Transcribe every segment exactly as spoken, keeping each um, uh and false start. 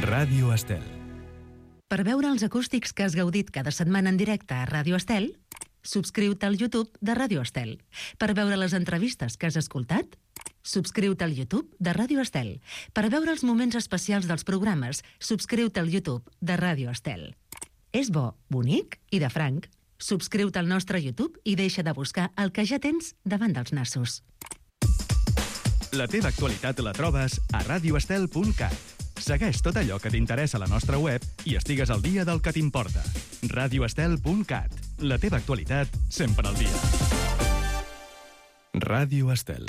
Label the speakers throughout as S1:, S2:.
S1: Ràdio Estel.
S2: Per veure els acústics que has gaudit cada setmana en directe a Ràdio Estel, subscriu-te al YouTube de Ràdio Estel. Per veure les entrevistes que has escoltat, subscriu-te al YouTube de Ràdio Estel. Per veure els moments especials dels programes, subscriu-te al YouTube de Ràdio Estel. És bo, bonic i de franc. Subscriu-te al nostre YouTube i deixa de buscar el que ja tens davant dels nassos.
S1: La teva actualitat la trobes a radio estel punt cat. Segueix tot allò que t'interessa a la nostra web i estigues al dia del que t'importa. radio estel punt cat. La teva actualitat sempre al dia. Ràdio Estel.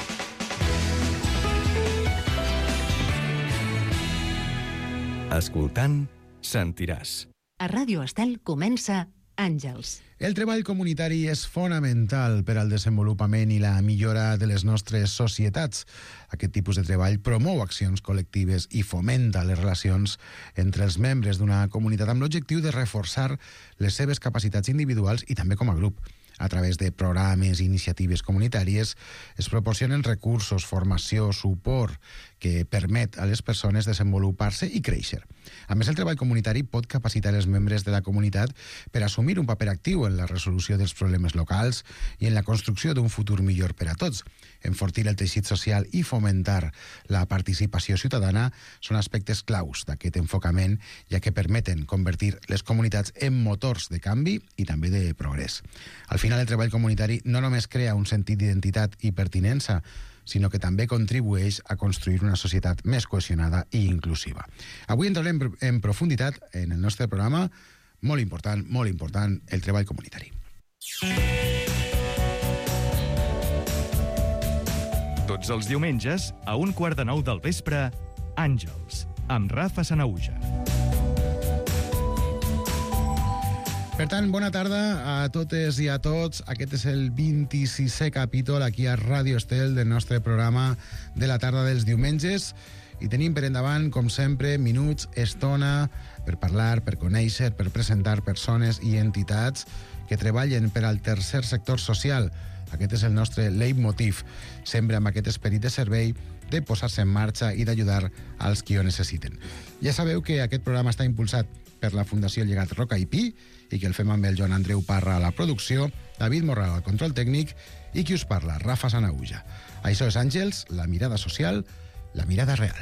S1: Escoltant, sentiràs.
S2: A Ràdio Estel comença Àngels.
S3: El treball comunitari és fonamental per al desenvolupament i la millora de les nostres societats. Aquest tipus de treball promou accions col·lectives i fomenta les relacions entre els membres d'una comunitat amb l'objectiu de reforçar les seves capacitats individuals i també com a grup. A través de programes i iniciatives comunitàries es proporcionen recursos, formació, suport que permet a les persones desenvolupar-se i créixer. A més, el treball comunitari pot capacitar els membres de la comunitat per assumir un paper actiu en la resolució dels problemes locals i en la construcció d'un futur millor per a tots. Enfortir el teixit social i fomentar la participació ciutadana són aspectes claus d'aquest enfocament, ja que permeten convertir les comunitats en motors de canvi i també de progrés. Al final, el treball comunitari no només crea un sentit d'identitat i pertinença, sinó que també contribueix a construir una societat més cohesionada i inclusiva. Avui entrarem en profunditat en el nostre programa, molt important, molt important, el treball comunitari.
S1: Tots els diumenges, a un quart de nou del vespre, Àngels, amb Rafa Sanahuja.
S3: Per tant, bona tarda a totes i a tots. Aquest és el vint-i-sisè capítol aquí a Ràdio Estel del nostre programa de la tarda dels diumenges i tenim per endavant, com sempre, minuts, estona per parlar, per conèixer, per presentar persones i entitats que treballen per al tercer sector social. Aquest és el nostre leitmotiv, sempre amb aquest esperit de servei, de posar-se en marxa i d'ajudar als qui ho necessiten. Ja sabeu que aquest programa està impulsat per la Fundació Llegat Roca i Pi i que el fem amb el Joan Andreu Parra a la producció, David Morral al control tècnic i qui us parla, Rafa Sanahuja. Això és Àngels, la mirada social, la mirada real.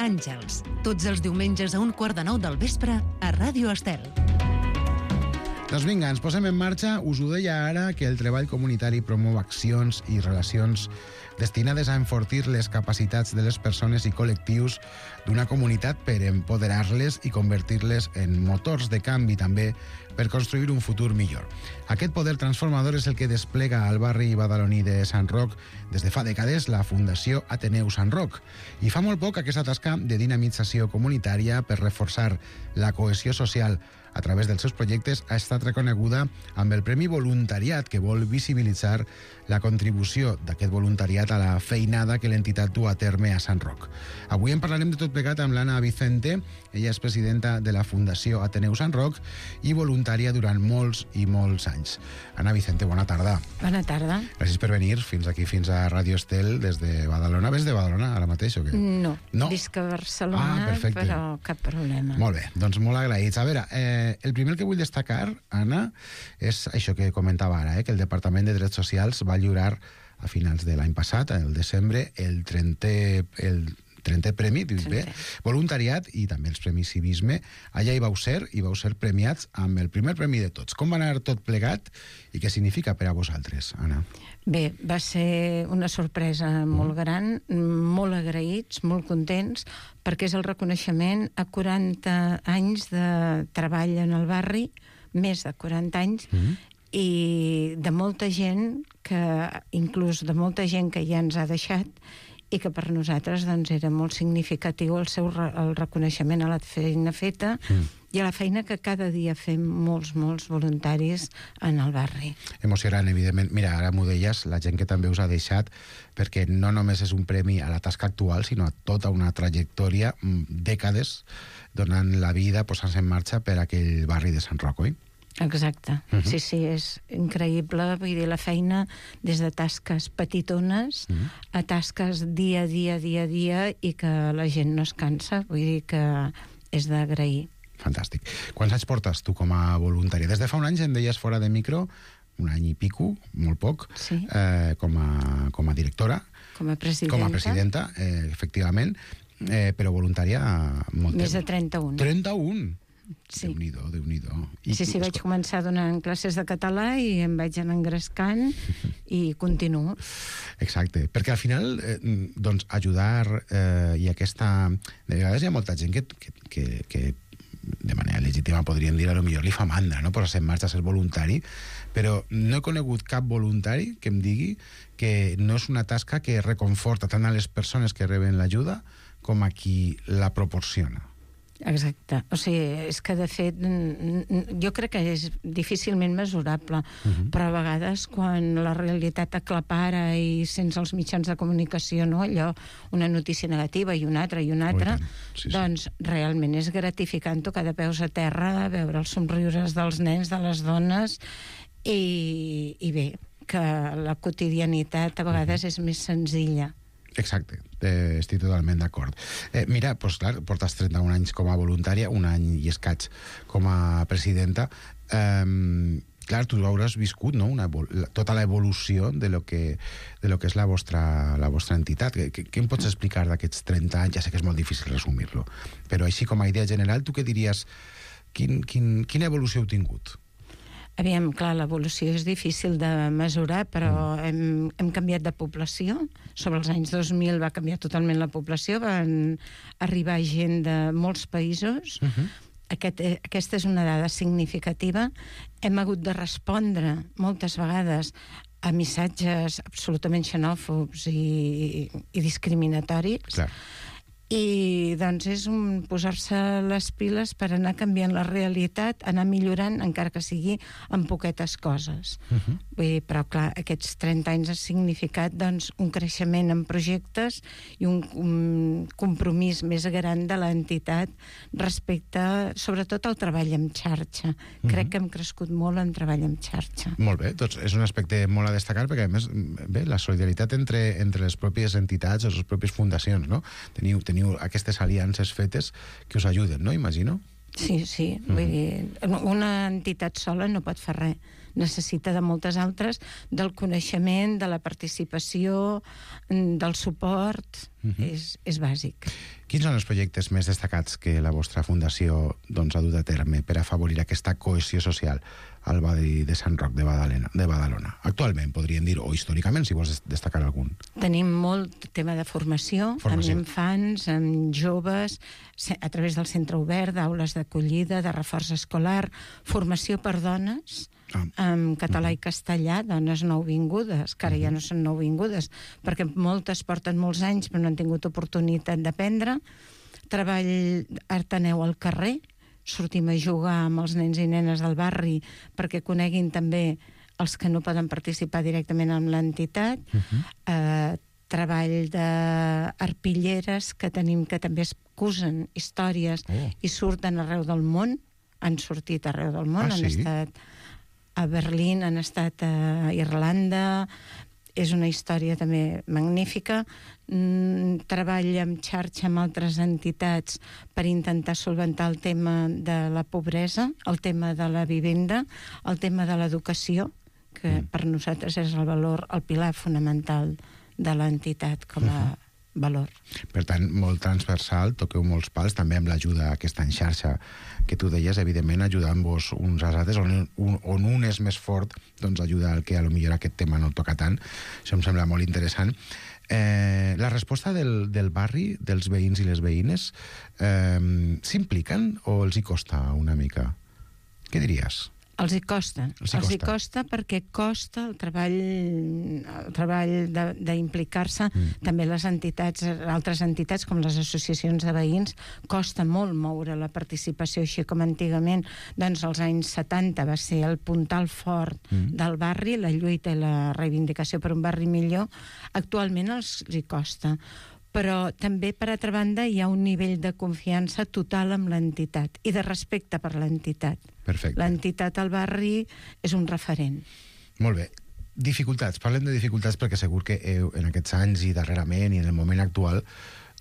S2: Àngels, tots els diumenges a un quart de nou del vespre a Ràdio Estel.
S3: Doncs vinga, ens posem en marxa. Us ho deia ara que el treball comunitari promou accions i relacions destinades a enfortir les capacitats de les persones i col·lectius d'una comunitat per empoderar-les i convertir-les en motors de canvi també per construir un futur millor. Aquest poder transformador és el que desplega al barri badaloní de Sant Roc des de fa dècades la Fundació Ateneu Sant Roc. I fa molt poc aquesta tasca de dinamització comunitària per reforçar la cohesió social a través dels seus projectes ha estat reconeguda amb el Premi Voluntariat, que vol visibilitzar la contribució d'aquest voluntariat a la feinada que l'entitat du a terme a Sant Roc. Avui en parlarem de tot plegat amb l'Anna Vicente. Ella és presidenta de la Fundació Ateneu Sant Roc i voluntària durant molts i molts anys. Anna Vicente, bona tarda.
S4: Bona tarda.
S3: Gràcies per venir fins aquí, fins a Ràdio Estel, des de Badalona. Ves de Badalona ara mateix o què?
S4: No,
S3: no?
S4: visc a Barcelona, ah, però cap problema.
S3: Molt bé, doncs molt agraïts. A veure, eh, el primer que vull destacar, Anna, és això que comentava ara, eh, que el Departament de Drets Socials va lliurar a finals de l'any passat, el desembre, el trentè, el trentè premi, dic bé, voluntariat i també els premis civisme. Allà hi vau ser i vau ser premiats amb el primer premi de tots. Com va anar tot plegat i què significa per a vosaltres, Anna?
S4: Bé, va ser una sorpresa molt gran, molt agraïts, molt contents, perquè és el reconeixement a quaranta anys de treball en el barri, més de quaranta anys, mm. i de molta gent, que inclús de molta gent que ja ens ha deixat, i que per nosaltres doncs, era molt significatiu el seu el reconeixement a la feina feta mm. i a la feina que cada dia fem molts, molts voluntaris en el barri.
S3: Emocionant, evidentment. Mira, ara m'ho deies, la gent que també us ha deixat, perquè no només és un premi a la tasca actual, sinó a tota una trajectòria, dècades, donant la vida, posant-se en marxa per aquell barri de Sant Roc, oi?
S4: Exacte. Uh -huh. Sí, sí, és increïble. Vull dir, la feina des de tasques petitones uh -huh. a tasques dia a dia, dia a dia, i que la gent no es cansa. Vull dir que és d'agrair.
S3: Fantàstic. Quants anys portes tu com a voluntària? Des de fa un any em deies fora de micro, un any i pico, molt poc,
S4: sí.
S3: eh, com, a, com a directora.
S4: Com a presidenta.
S3: Com a presidenta, eh, efectivament, eh, però voluntària molt
S4: Més
S3: temps.
S4: de trenta-un.
S3: trenta-un?
S4: Sí.
S3: Déu-n'hi-do, Déu-n'hi-do.
S4: I sí, sí, vaig començar donant classes de català i em vaig anar engrescant i continuo.
S3: Exacte, perquè al final, eh, doncs, ajudar eh, i aquesta... De vegades hi ha molta gent que, que, que, que de manera legítima podríem dir, a lo millor li fa mandra, no?, posar-se en marxa a ser voluntari, però no he conegut cap voluntari que em digui que no és una tasca que reconforta tant a les persones que reben l'ajuda com a qui la proporciona.
S4: Exacte. O sigui, és que, de fet, jo crec que és difícilment mesurable, uh-huh. però a vegades, quan la realitat aclapara i sense els mitjans de comunicació, no?, allò, una notícia negativa i una altra i una altra, oh, sí, sí. doncs realment és gratificant tocar de peus a terra, veure els somriures dels nens, de les dones, i, i bé, que la quotidianitat a vegades uh-huh. és més senzilla.
S3: Exacte, eh, estic totalment d'acord. Eh, mira, doncs clar, portes trenta-un anys com a voluntària, un any i escaig com a presidenta. Eh, clar, tu hauràs viscut, no?, una, tota l'evolució de lo que, de lo que és la vostra, la vostra entitat. Què, què em pots explicar d'aquests trenta anys? Ja sé que és molt difícil resumir-lo, però així com a idea general, tu què diries? Quin, quin, quina evolució heu tingut?
S4: Aviam, clar, l'evolució és difícil de mesurar, però mm. hem, hem canviat de població. Sobre els anys dos mil va canviar totalment la població, van arribar gent de molts països. Uh-huh. Aquest, aquesta és una dada significativa. Hem hagut de respondre moltes vegades a missatges absolutament xenòfobs i, i discriminatoris. Clar. I doncs és un posar-se les piles per anar canviant la realitat, anar millorant, encara que sigui en poquetes coses. Uh-huh. Vull dir, però clar, aquests trenta anys ha significat doncs, un creixement en projectes i un, un compromís més gran de l'entitat respecte, sobretot, al treball en xarxa. Uh-huh. Crec que hem crescut molt en treball en xarxa.
S3: Molt bé, doncs és un aspecte molt a destacar, perquè a més, bé, la solidaritat entre, entre les pròpies entitats o les pròpies fundacions, no? Teniu, teniu aquestes aliances fetes que us ajuden, no? Imagino.
S4: Sí, sí. Mm-hmm. Vull dir, una entitat sola no pot fer res. Necessita de moltes altres, del coneixement, de la participació, del suport. Mm-hmm. És, és bàsic.
S3: Quins són els projectes més destacats que la vostra fundació doncs, ha dut a terme per afavorir aquesta cohesió social al barri de Sant Roc de Badalona, de Badalona? Actualment, podríem dir, o històricament, si vols destacar algun.
S4: Tenim molt tema de formació, formació. amb infants, amb joves, a través del centre obert, d'aules d'acollida, de reforç escolar, formació per dones, ah. en català uh-huh. i castellà, dones nouvingudes, que ara uh-huh. ja no són nouvingudes, perquè moltes porten molts anys però no han tingut oportunitat d'aprendre. Treball arteneu al carrer, sortim a jugar amb els nens i nenes del barri perquè coneguin també els que no poden participar directament en l'entitat. Uh-huh. eh, treball d'arpilleres que tenim, que també es cusen històries oh. i surten arreu del món, han sortit arreu del món, ah, sí? Han estat a Berlín, han estat a Irlanda. És una història també magnífica. Mm, treball en xarxa amb altres entitats per intentar solventar el tema de la pobresa, el tema de la vivenda, el tema de l'educació, que mm. per nosaltres és el valor, el pilar fonamental de l'entitat com a uh-huh. valor.
S3: Per tant, molt transversal, toqueu molts pals, també amb l'ajuda aquesta en xarxa que tu deies, evidentment ajudant-vos uns als altres, on un, on un és més fort, doncs ajuda al que a lo millor aquest tema no toca tant. Això em sembla molt interessant. Eh, la resposta del, del barri, dels veïns i les veïnes, eh, s'impliquen o els hi costa una mica? Què diries?
S4: Els hi costa. Els hi costa, els hi costa perquè costa el treball, el treball d'implicar-se. Mm. També les entitats, altres entitats, com les associacions de veïns, costa molt moure la participació, així com antigament, doncs als anys setanta va ser el puntal fort mm. del barri, la lluita i la reivindicació per un barri millor. Actualment els hi costa. però també, per altra banda, hi ha un nivell de confiança total amb l'entitat i de respecte per l'entitat.
S3: Perfecte.
S4: L'entitat al barri és un referent.
S3: Molt bé. Dificultats. Parlem de dificultats perquè segur que heu, en aquests anys i darrerament i en el moment actual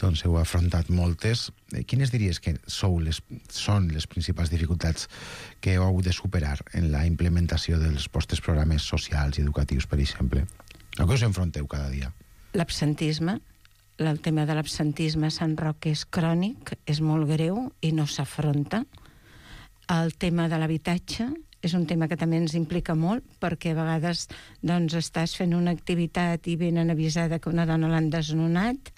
S3: doncs heu afrontat moltes. Quines diries que sou les, són les principals dificultats que heu hagut de superar en la implementació dels vostres programes socials i educatius, per exemple? A què us enfronteu cada dia?
S4: L'absentisme. El tema de l'absentisme a Sant Roc és crònic, és molt greu i no s'afronta. El tema de l'habitatge és un tema que també ens implica molt, perquè a vegades doncs, estàs fent una activitat i venen avisada que una dona l'han desnonat.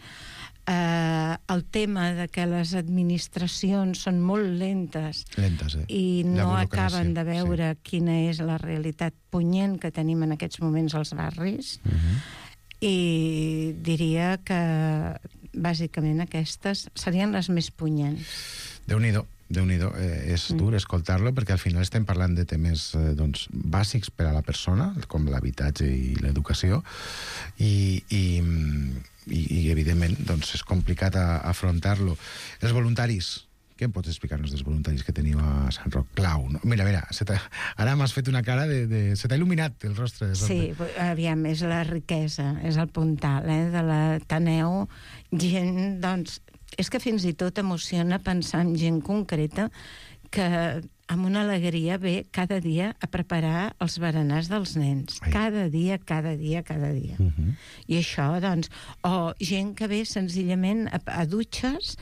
S4: Uh, el tema de que les administracions són molt lentes,
S3: lentes eh?
S4: i no acaben de veure sí. quina és la realitat punyent que tenim en aquests moments als barris. Uh-huh. I diria que bàsicament aquestes serien les més punyents.
S3: Déu-n'hi-do. Déu-n'hi-do, eh, és dur escoltar-lo perquè al final estem parlant de temes eh, doncs, bàsics per a la persona, com l'habitatge i l'educació, i, i, i, i evidentment doncs, és complicat a, a afrontar-lo. Els voluntaris, què em pots explicar-nos dels voluntaris que teniu a Sant Roc? Clau, no? Mira, mira, se ara m'has fet una cara de, de... Se t'ha il·luminat el rostre. De
S4: sí, aviam, és la riquesa, és el puntal eh, de l'Ateneu. Gent, doncs, és que fins i tot emociona pensar en gent concreta que amb una alegria ve cada dia a preparar els berenars dels nens. Ai. Cada dia, cada dia, cada dia. Uh-huh. I això, doncs... O gent que ve senzillament a, a dutxes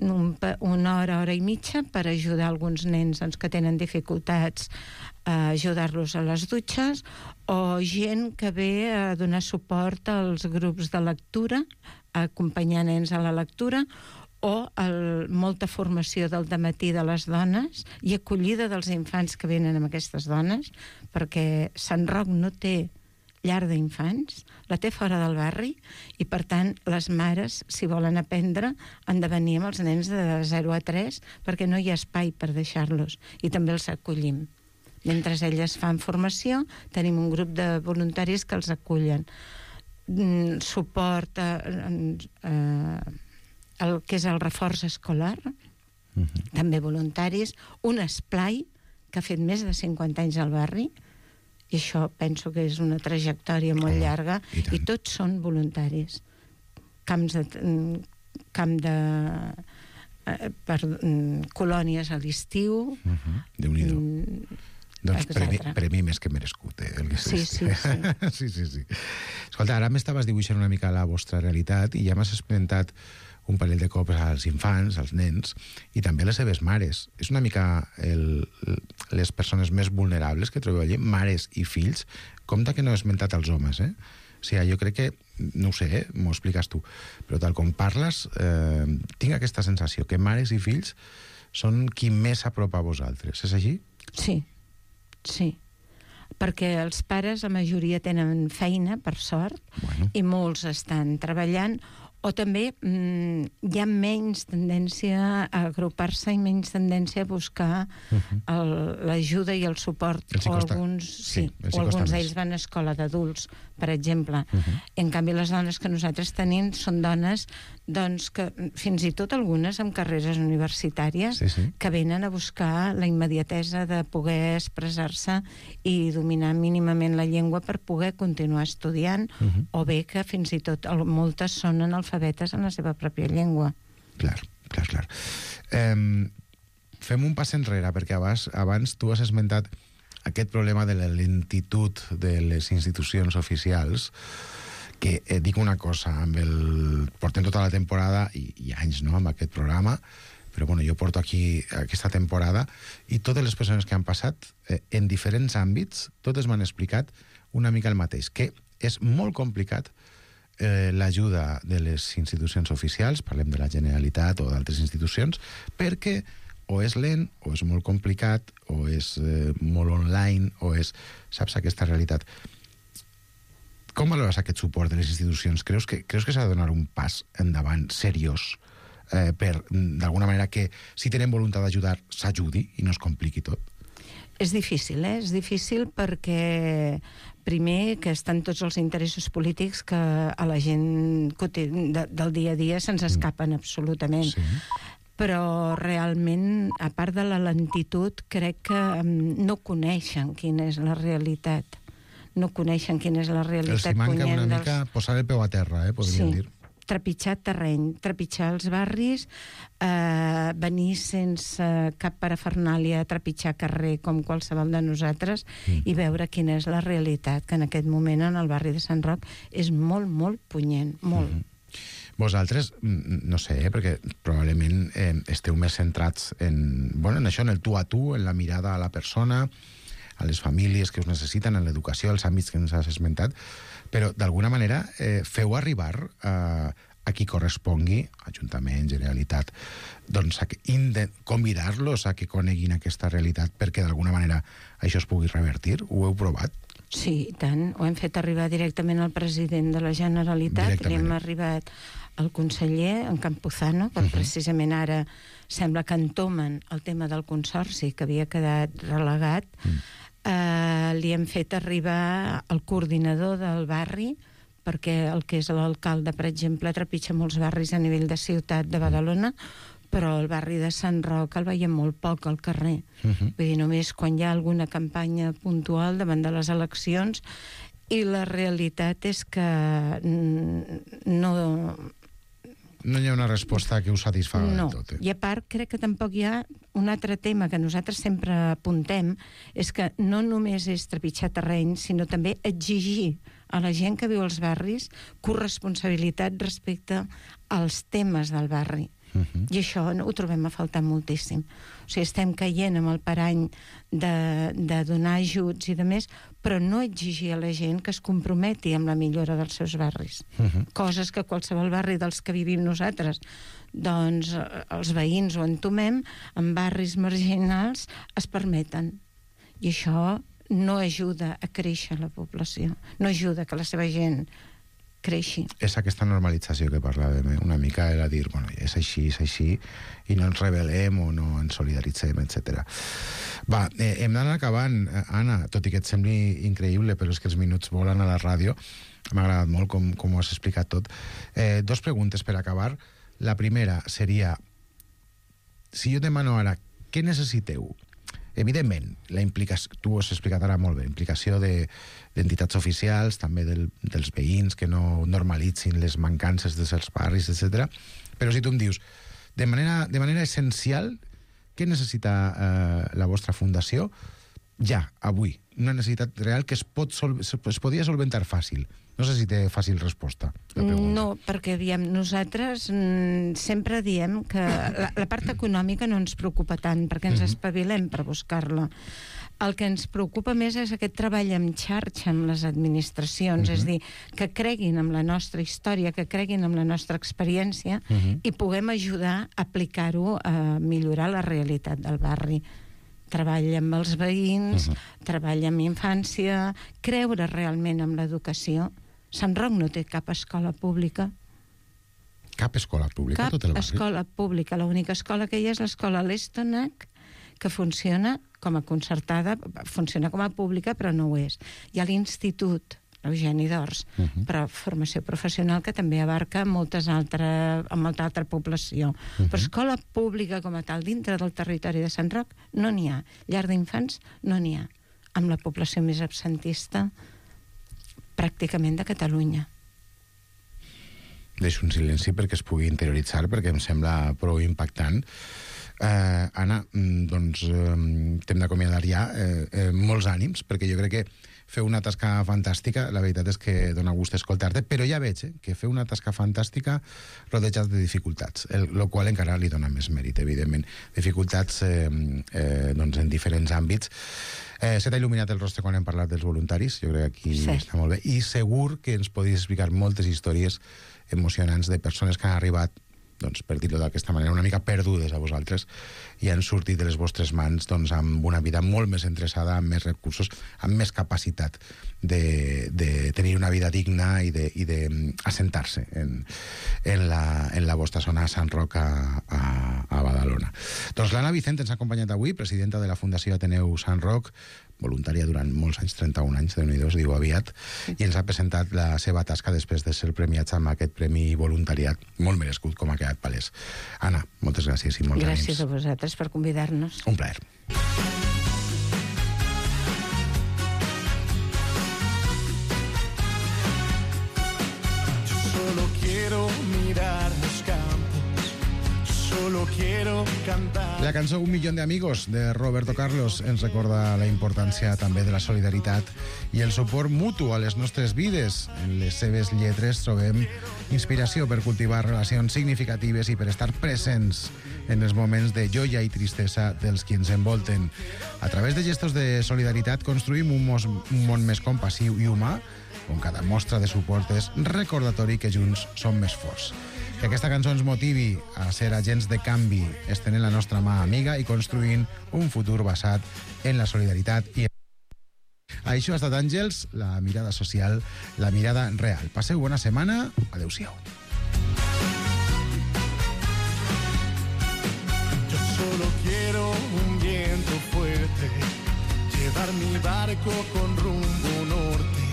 S4: un, una hora, hora i mitja per ajudar alguns nens doncs, que tenen dificultats a ajudar-los a les dutxes, o gent que ve a donar suport als grups de lectura, a acompanyar nens a la lectura, o el, molta formació del dematí de les dones i acollida dels infants que venen amb aquestes dones, perquè Sant Roc no té llar d'infants, la té fora del barri, i per tant les mares, si volen aprendre, han de venir amb els nens de zero a tres perquè no hi ha espai per deixar-los, i també els acollim. Mentre elles fan formació, tenim un grup de voluntaris que els acullen. Mm, suport a... a el que és el reforç escolar, uh-huh. també voluntaris, un esplai que ha fet més de cinquanta anys al barri, i això penso que és una trajectòria molt oh, llarga, i, i tots són voluntaris. Camps de... camp de... Eh, per, colònies a l'estiu...
S3: Uh-huh. Déu-n'hi-do. Mm, doncs premi, premi més que merescut, eh? El que
S4: sí, sí, sí.
S3: sí, sí, sí. Escolta, ara m'estaves dibuixant una mica la vostra realitat i ja m'has experimentat un parell de cops als infants, als nens, i també a les seves mares. És una mica el, les persones més vulnerables que trobeu allí, mares i fills. Compte que no he esmentat els homes, eh? O sigui, jo crec que, no ho sé, eh? M'ho expliques tu, però tal com parles, eh, tinc aquesta sensació que mares i fills són qui més s'apropa a vosaltres. És així?
S4: Sí, sí. Perquè els pares, la majoria, tenen feina, per sort, bueno. I molts estan treballant, o també mm, hi ha menys tendència a agrupar-se i menys tendència a buscar uh-huh. l'ajuda i el suport.
S3: El
S4: o alguns, sí, sí, o alguns d'ells van a escola d'adults, per exemple. Uh-huh. En canvi, les dones que nosaltres tenim són dones doncs, que fins i tot algunes amb carreres universitàries
S3: sí, sí.
S4: que venen a buscar la immediatesa de poder expressar-se i dominar mínimament la llengua per poder continuar estudiant, uh-huh. o bé que fins i tot moltes són analfabetes en la seva pròpia llengua.
S3: Clar, clar, clar. Eh, fem un pas enrere, perquè abans, abans tu has esmentat aquest problema de la lentitud de les institucions oficials, que eh, dic una cosa, amb el... portem tota la temporada i, i anys, no?, amb aquest programa, però bueno, jo porto aquí aquesta temporada i totes les persones que han passat eh, en diferents àmbits, totes m'han explicat una mica el mateix, que és molt complicat eh, l'ajuda de les institucions oficials, parlem de la Generalitat o d'altres institucions, perquè o és lent, o és molt complicat, o és eh, molt online, o és... Saps, aquesta realitat. Com valores aquest suport de les institucions? Creus que, creus que s'ha de donar un pas endavant seriós eh, per, d'alguna manera, que si tenen voluntat d'ajudar s'ajudi i no es compliqui tot?
S4: És difícil, eh? És difícil perquè, primer, que estan tots els interessos polítics que a la gent de, del dia a dia se'ns escapen absolutament.
S3: Sí.
S4: Però realment, a part de la lentitud, crec que no coneixen quina és la realitat. No coneixen quina és la realitat.
S3: Els hi manca una mica dels... posar el peu a terra, eh, podríem
S4: sí.
S3: dir. Trepitjar
S4: terreny, trepitjar els barris, eh, venir sense cap parafernàlia a trepitjar carrer com qualsevol de nosaltres mm. i veure quina és la realitat, que en aquest moment en el barri de Sant Roc és molt, molt punyent, molt. Mm.
S3: Vosaltres, no sé, eh, perquè probablement eh, esteu més centrats en, bueno, en això, en el tu a tu, en la mirada a la persona, a les famílies que us necessiten, en l'educació, els àmbits que ens has esmentat, però d'alguna manera eh, feu arribar a, a qui correspongui, Ajuntament, Generalitat, doncs a convidar-los a que coneguin aquesta realitat perquè d'alguna manera això es pugui revertir. Ho heu provat?
S4: Sí, i tant. Ho hem fet arribar directament al president de la Generalitat, li hem arribat al conseller, en Campuzano, que uh -huh. precisament ara sembla que entomen el tema del consorci, que havia quedat relegat. Uh -huh. eh, li hem fet arribar al coordinador del barri, perquè el que és l'alcalde, per exemple, trepitja molts barris a nivell de ciutat de Badalona, però el barri de Sant Roc el veiem molt poc al carrer. Uh -huh. Vull dir, només quan hi ha alguna campanya puntual davant de les eleccions, i la realitat és que no...
S3: No hi ha una resposta que us satisfaga
S4: no.
S3: del tot. Eh?
S4: I a part, crec que tampoc hi ha un altre tema que nosaltres sempre apuntem, és que no només és trepitjar terreny, sinó també exigir a la gent que viu als barris corresponsabilitat respecte als temes del barri. Uh -huh. I això ho trobem a faltar moltíssim. O sigui, estem caient amb el parany de, de donar ajuts i de més, però no exigir a la gent que es comprometi amb la millora dels seus barris. Uh -huh. Coses que qualsevol barri dels que vivim nosaltres, doncs els veïns ho entomem, en barris marginals es permeten. I això no ajuda a créixer la població, no ajuda que la seva gent creixi.
S3: És aquesta normalització que parlàvem, una mica era dir, bueno, és així, és així, i no ens rebel·lem o no ens solidaritzem, etcètera. Va, eh, hem d'anar acabant, Anna, tot i que et sembli increïble, però és que els minuts volen a la ràdio. M'ha agradat molt com, com ho has explicat tot. Eh, dos preguntes per acabar. La primera seria, si jo demano ara, què necessiteu? Evidentment, la implicació, tu ho has explicat ara molt bé, implicació de, d'entitats oficials, també del, dels veïns que no normalitzin les mancances dels barris, etcètera. Però si tu em dius, de manera, de manera essencial, què necessita eh, la vostra fundació ja, avui? Una necessitat real que es, pot sol, es podria solventar fàcil. No sé si té fàcil resposta.
S4: No, perquè aviam, nosaltres mm, sempre diem que la, la part econòmica no ens preocupa tant, perquè ens espavilem per buscar-la. El que ens preocupa més és aquest treball en xarxa amb les administracions, uh-huh. és a dir, que creguin en la nostra història, que creguin en la nostra experiència uh-huh. i puguem ajudar a aplicar-ho a millorar la realitat del barri. Treball amb els veïns, uh-huh. treball amb infància, creure realment en l'educació. Sant Roc no té cap escola pública.
S3: Cap escola pública,
S4: cap
S3: tot el barri?
S4: Cap escola pública. L'única escola que hi ha és l'escola L'Estonac, que funciona com a concertada, funciona com a pública, però no ho és. Hi ha l'Institut Eugeni d'Ors, uh-huh. per a formació professional, que també abarca moltes altra, molta altra població. Uh-huh. Però escola pública com a tal, dintre del territori de Sant Roc, no n'hi ha. Llar d'infants, no n'hi ha. Amb la població més absentista pràcticament de Catalunya.
S3: Deixo un silenci perquè es pugui interioritzar, perquè em sembla prou impactant. Eh, Anna, doncs eh, t'hem d'acomiadar ja. Eh, eh, molts ànims, perquè jo crec que feu una tasca fantàstica, la veritat és que dona gust escoltar-te, però ja veig eh, que feu una tasca fantàstica rodejats de dificultats, el, el qual encara li dona més mèrit, evidentment. Dificultats eh, eh, doncs en diferents àmbits. Eh, se t'ha il·luminat el rostre quan hem parlat dels voluntaris, jo crec que aquí sí. Està molt bé, i segur que ens podries explicar moltes històries emocionants de persones que han arribat, doncs, per dir-ho d'aquesta manera, una mica perdudes a vosaltres i han sortit de les vostres mans doncs, amb una vida molt més endreçada, amb més recursos, amb més capacitat de, de tenir una vida digna i de, i de assentar-se en, en, la, en la vostra zona a Sant Roc a, a, a Badalona. Badalona. Doncs l'Anna Vicent ens ha acompanyat avui, presidenta de la Fundació Ateneu Sant Roc, voluntària durant molts anys, trenta-un anys, de Déu-n'hi-do, es diu aviat, i ens ha presentat la seva tasca després de ser premiats amb aquest premi voluntariat molt merescut, com ha quedat palès. Anna, moltes gràcies i molts ànims.
S4: Gràcies a vosaltres per convidar-nos.
S3: Un plaer.
S5: Solo quiero mirar los campos, solo quiero cantar.
S3: La cançó Un millón de amigos de Roberto Carlos ens recorda la importància també de la solidaritat i el suport mutu a les nostres vides. En les seves lletres trobem inspiració per cultivar relacions significatives i per estar presents en els moments de joia i tristesa dels qui ens envolten. A través de gestos de solidaritat construïm un, mos, un món més compassiu i humà, on cada mostra de suport és recordatori que junts som més forts. Que aquesta cançó ens motivi a ser agents de canvi, estenent la nostra mà amiga i construint un futur basat en la solidaritat i això ha estat Àngels, la mirada social, la mirada real. Passeu bona setmana, adeu-siau.
S5: Yo solo quiero un viento fuerte, llevar mi barco con rumbo norte.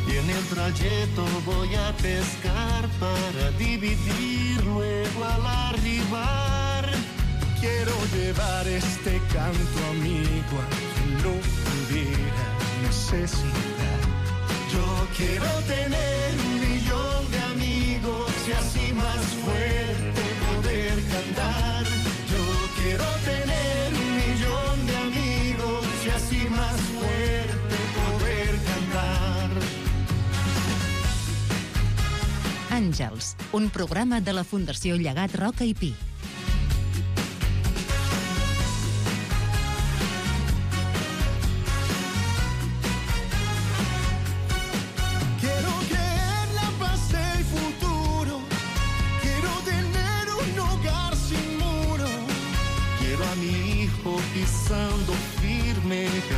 S5: Y en el trayecto voy a pescar para dividir luego al arribar. Quiero llevar este canto amigo a quien lo pudiera necesitar. Yo quiero tener un millón de amigos y así más fuerte poder cantar. Yo quiero tener un millón de amigos y así más fuerte poder cantar.
S2: Àngels, un programa de la Fundació Llegat Roca i Pi.